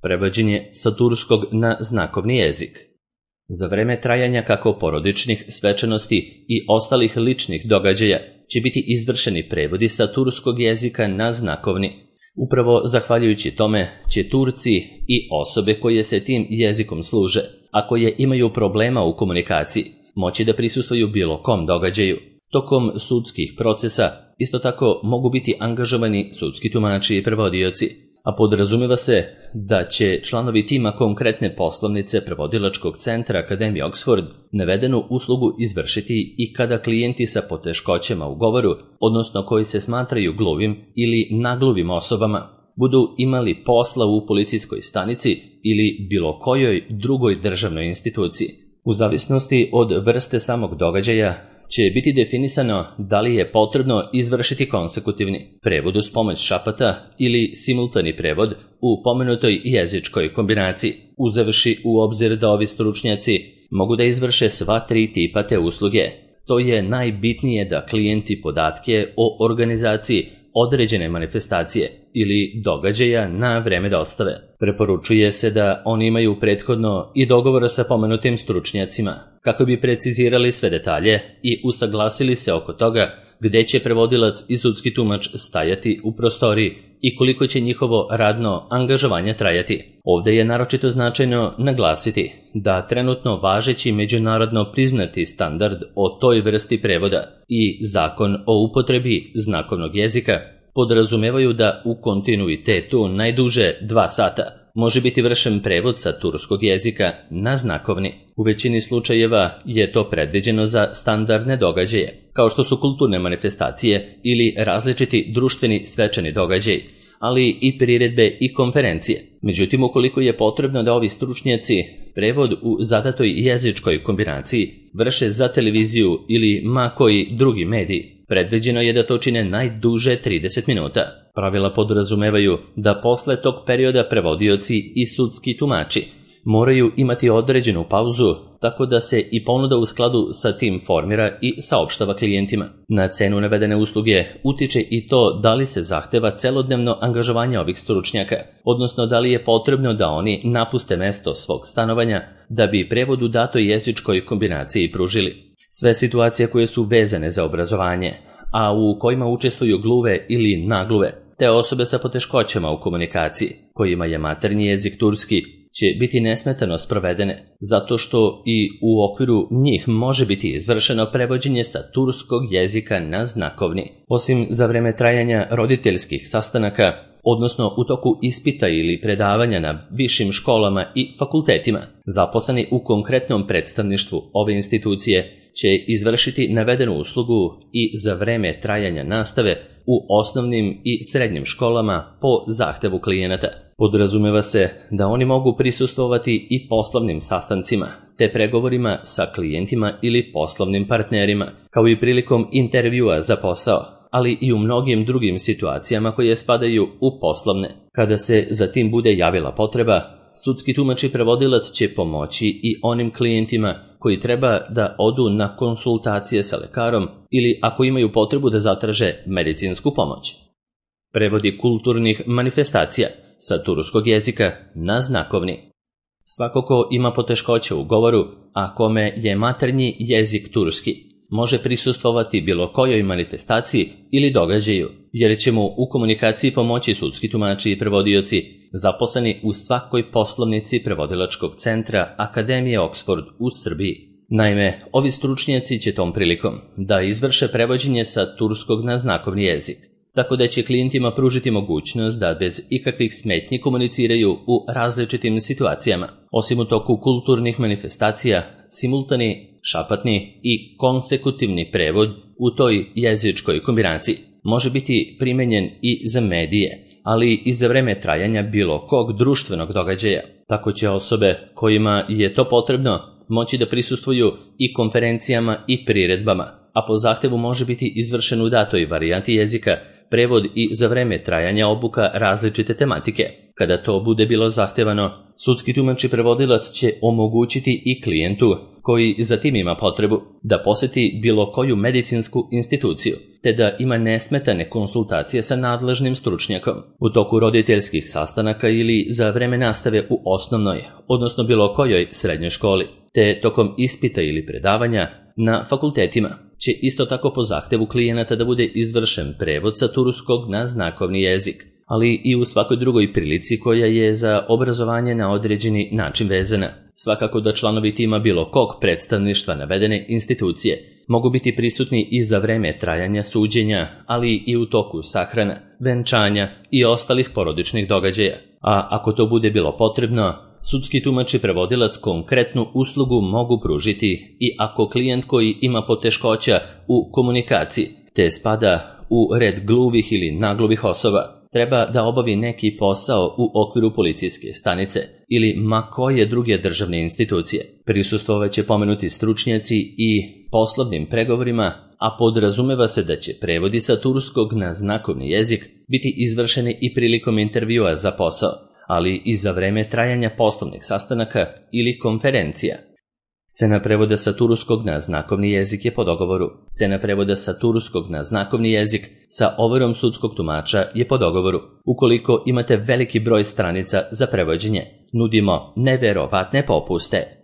Prevođenje sa turskog na znakovni jezik. Za vreme trajanja kako porodičnih svečanosti i ostalih ličnih događaja će biti izvršeni prevodi sa turskog jezika na znakovni. Upravo zahvaljujući tome će Turci i osobe koje se tim jezikom služe, a koje imaju problema u komunikaciji, moći da prisustvuju bilo kom događaju. Tokom sudskih procesa isto tako mogu biti angažovani sudski tumači i prevodioci, a podrazumeva se da će članovi tima konkretne poslovnice prevodilačkog centra Akademije Oxford navedenu uslugu izvršiti i kada klijenti sa poteškoćama u govoru, odnosno koji se smatraju gluvim ili nagluvim osobama, budu imali posla u policijskoj stanici ili bilo kojoj drugoj državnoj instituciji. U zavisnosti od vrste samog događaja će biti definisano da li je potrebno izvršiti konsekutivni prevod uz pomoć šapata ili simultani prevod u pomenutoj jezičkoj kombinaciji, uzevši u obzir da ovi stručnjaci mogu da izvrše sva tri tipa te usluge. To je najbitnije da klijenti podatke o organizaciji određene manifestacije ili događaja na vreme dostave. Preporučuje se da oni imaju prethodno i dogovor sa pomenutim stručnjacima, kako bi precizirali sve detalje i usaglasili se oko toga gde će prevodilac i sudski tumač stajati u prostoriji i koliko će njihovo radno angažovanje trajati. Ovde je naročito značajno naglasiti da trenutno važeći međunarodno priznati standard o toj vrsti prevoda i zakon o upotrebi znakovnog jezika podrazumevaju da u kontinuitetu najduže 2 sata može biti vršen prevod sa turskog jezika na znakovni. U većini slučajeva je to predviđeno za standardne događaje, kao što su kulturne manifestacije ili različiti društveni svečani događaji, ali i priredbe i konferencije. Međutim, ukoliko je potrebno da ovi stručnjaci prevod u zadatoj jezičkoj kombinaciji vrše za televiziju ili ma koji drugi medij, predviđeno je da to čine najduže 30 minuta. Pravila podrazumevaju da posle tog perioda prevodioci i sudski tumači moraju imati određenu pauzu, tako da se i ponuda u skladu sa tim formira i saopštava klijentima. Na cenu navedene usluge utiče i to da li se zahteva celodnevno angažovanje ovih stručnjaka, odnosno da li je potrebno da oni napuste mesto svog stanovanja da bi prevod u datoj jezičkoj kombinaciji pružili. Sve situacije koje su vezane za obrazovanje, a u kojima učestvuju gluve ili nagluve, te osobe sa poteškoćama u komunikaciji, kojima je maternji jezik turski, će biti nesmetano sprovedene, zato što i u okviru njih može biti izvršeno prevođenje sa turskog jezika na znakovni. Osim za vreme trajanja roditeljskih sastanaka, odnosno u toku ispita ili predavanja na višim školama i fakultetima, zaposleni u konkretnom predstavništvu ove institucije će izvršiti navedenu uslugu i za vreme trajanja nastave u osnovnim i srednjim školama po zahtevu klijenata. Podrazumeva se da oni mogu prisustvovati i poslovnim sastancima, te pregovorima sa klijentima ili poslovnim partnerima, kao i prilikom intervjua za posao, ali i u mnogim drugim situacijama koje spadaju u poslovne. Kada se za tim bude javila potreba, sudski tumač i prevodilac će pomoći i onim klijentima koji treba da odu na konsultacije sa lekarom ili ako imaju potrebu da zatraže medicinsku pomoć. Prevodi kulturnih manifestacija sa turskog jezika na znakovni. Svako ko ima poteškoće u govoru, a kome je maternji jezik turski, može prisustvovati bilo kojoj manifestaciji ili događaju, jer će mu u komunikaciji pomoći sudski tumači i prevodioci zaposleni u svakoj poslovnici prevodilačkog centra Akademije Oxford u Srbiji. Naime, ovi stručnjaci će tom prilikom da izvrše prevođenje sa turskog na znakovni jezik, tako da će klijentima pružiti mogućnost da bez ikakvih smetnji komuniciraju u različitim situacijama. Osim u toku kulturnih manifestacija, simultani, šapatni i konsekutivni prevod u toj jezičkoj kombinaciji može biti primenjen i za medije, ali i za vreme trajanja bilo kog društvenog događaja. Tako će osobe kojima je to potrebno moći da prisustvuju i konferencijama i priredbama, a po zahtevu može biti izvršen u datoj varijanti jezika prevod i za vreme trajanja obuka različite tematike. Kada to bude bilo zahtevano, sudski tumač i prevodilac će omogućiti i klijentu koji zatim ima potrebu da poseti bilo koju medicinsku instituciju, te da ima nesmetane konsultacije sa nadležnim stručnjakom u toku roditeljskih sastanaka ili za vreme nastave u osnovnoj, odnosno bilo kojoj srednjoj školi, te tokom ispita ili predavanja na fakultetima, će isto tako po zahtevu klijenata da bude izvršen prevod sa turskog na znakovni jezik, ali i u svakoj drugoj prilici koja je za obrazovanje na određeni način vezana. Svakako da članovi tima bilo kog predstavništva navedene institucije mogu biti prisutni i za vreme trajanja suđenja, ali i u toku sahrana, venčanja i ostalih porodičnih događaja. A ako to bude bilo potrebno, sudski tumač i prevodilac konkretnu uslugu mogu pružiti i ako klijent koji ima poteškoća u komunikaciji, te spada u red gluvih ili nagluvih osoba, treba da obavi neki posao u okviru policijske stanice ili ma koje druge državne institucije. Prisustvovaće pomenuti stručnjaci i poslovnim pregovorima, a podrazumeva se da će prevodi sa turskog na znakovni jezik biti izvršeni i prilikom intervjua za posao, ali i za vreme trajanja poslovnih sastanaka ili konferencija. Cena prevoda sa turskog na znakovni jezik je po dogovoru. Cena prevoda sa turskog na znakovni jezik sa overom sudskog tumača je po dogovoru. Ukoliko imate veliki broj stranica za prevođenje, nudimo neverovatne popuste.